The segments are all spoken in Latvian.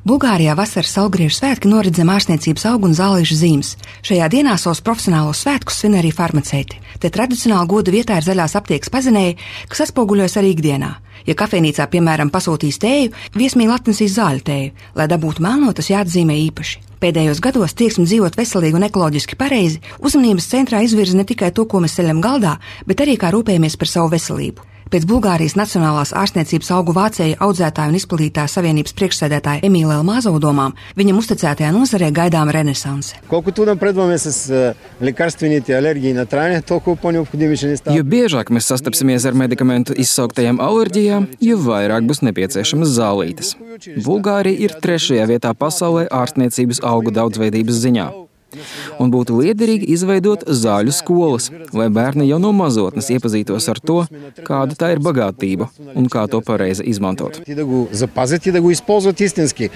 Bulgārijā vasaras saulgriežu svētki norit zem ārstniecības augu un zālīšu zīmes. Šajā dienā savus profesionālos svētkus svin arī farmaceiti. Te tradicionāli goda vietā ir zaļās aptiekas pazinēji, kas atspoguļojas arī ikdienā. Ja kafejnīcā, piemēram, pasūtīs tēju, viesmīli atnesīs zāļu tēju. Lai dabūtu melno, tas jāatzīmē īpaši. Pēdējos gados tieksme dzīvot veselīgi un ekoloģiski pareizi uzmanības centrā izvirza ne tikai to, ko mēs ceļam galdā, bet arī kā rūpējamies par savu veselību. Pēc Bulgārijas Nacionālās ārstniecības augu vācēju audzētāju un izplatītāju savienības priekšsēdētāja Emīla Elmāzova domām, viņam uzticētajā nozarē gaidāma renesanse. Jo biežāk mēs sastapsimies ar medikamentu izsauktajām alerģijām, jo vairāk būs nepieciešamas zālītes. Bulgārija ir 3. vietā pasaulē ārstniecības augu daudzveidības ziņā. Un būtu liederīgi izveidot zāļu skolas, lai bērni jau no mazotnes iepazītos ar to, kāda tā ir bagātība un kā to pareizi izmantot.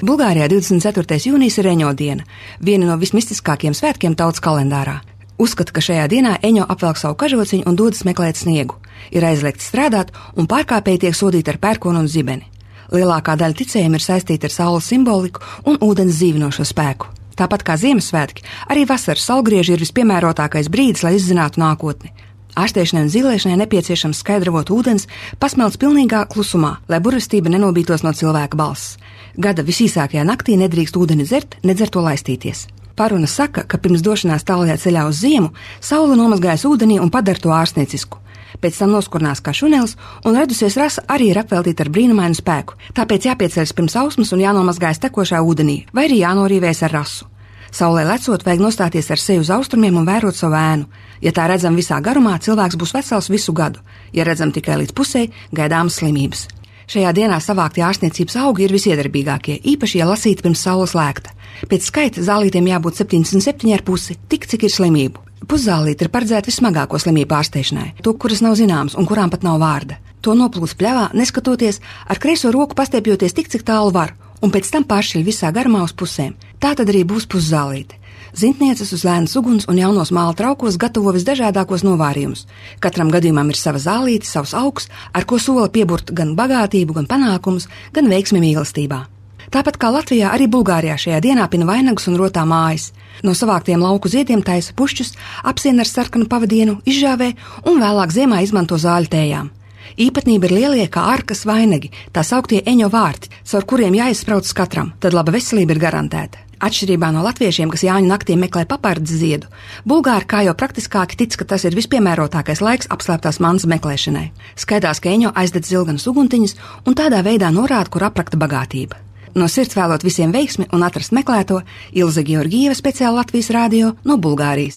Bulgārijā 24. jūnijas ir Eņo diena, viena no vismistiskākajiem svētkiem tautas kalendārā. Uzskata, ka šajā dienā Eņo apvelk savu kažociņu un dodas meklēt sniegu. Ir aizliegts strādāt un pārkāpēji tiek sodīti ar pērkonu un zibeni. Lielākā daļa ticējumu ir saistīta ar saules simboliku un ūdens dzīvinošo spēku. Tāpat kā Ziemassvētki, arī vasaras saulgrieži ir vispiemērotākais brīdis, lai izzinātu nākotni. Ārstēšanai un zīlēšanai nepieciešams skaidravot ūdens, pasmelts pilnīgā klusumā, lai burvestība nenobītos no cilvēka balss. Gada visīsākajā naktī nedrīkst ūdeni dzert, nedzer to laistīties. Paruna saka, ka pirms došanās tālajā ceļā uz ziemu, saule nomazgājas ūdenī un padara to ārstniecisku. Pēc tam noskurnās kā šunelis, un radusies rasa arī ir apveltīta ar brīnumainu spēku. Tāpēc jāpieceļas pirms ausmas un jānomazgājas tekošā ūdenī, vai arī jānorīvējas ar rasu. Saulē lecot, vajag nostāties ar seju uz austrumiem un vērot savu ēnu. Ja tā redzam visā garumā, cilvēks būs vesels visu gadu. Ja redzam tikai līdz pusē, gaidāmas slimības. Šajā dienā savāktie ārstniecības augi ir visiedarbīgākie, īpaši, ja lasīti pirms saules lēkta. Pēc skaita zālītiem jābūt 77,5, tik cik ir slimību. Puszālīte ir paredzēta vismagāko slimību ārstēšanai, to, kuras nav zināmas un kurām pat nav vārda. To noplūst pļavā, neskatoties, ar kreiso roku pastiepjoties tik, cik tālu var, un pēc tam pāršķiļ visā garumā uz pusēm. Tā tad arī būs puszālīte. Zintnieces uz lēnas uguns un jaunos māla traukos gatavo visdažādākos novārījumus. Katram gadījumam ir sava zālīte, savs augs, ar ko sola pieburt gan bagātību, gan panākumus, gan veiksmi mīlestībā. Tāpat kā Latvijā, arī Bulgārijā šajā dienā pina vainagus un rotā mājas. No savāktiem lauku ziediem taisa pušķus, apsien ar sarkanu pavadienu, izžāvē un vēlāk ziemā izmanto zāļu tējām. Īpatnība ir lielie kā arkas vainagi, tā sauktie Eņo vārti, caur kuriem jāizsprauc katram, tad laba veselība ir garantēta. Atšķirībā no latviešiem, kas Jāņu naktī meklē papardzi ziedu, Bulgāri kā jau praktiskāki tic, ka tas ir vispiemērotākais laiks apslēptās mantas meklēšanai. Skaidās, ka Eņo aizdedz zilganas uguntiņas un tādā veidā norāda, kur aprakta bagātība. No sirds vēlot visiem veiksmi un atrast meklēto, Ilze Georgieva speciāli Latvijas radio no Bulgārijas.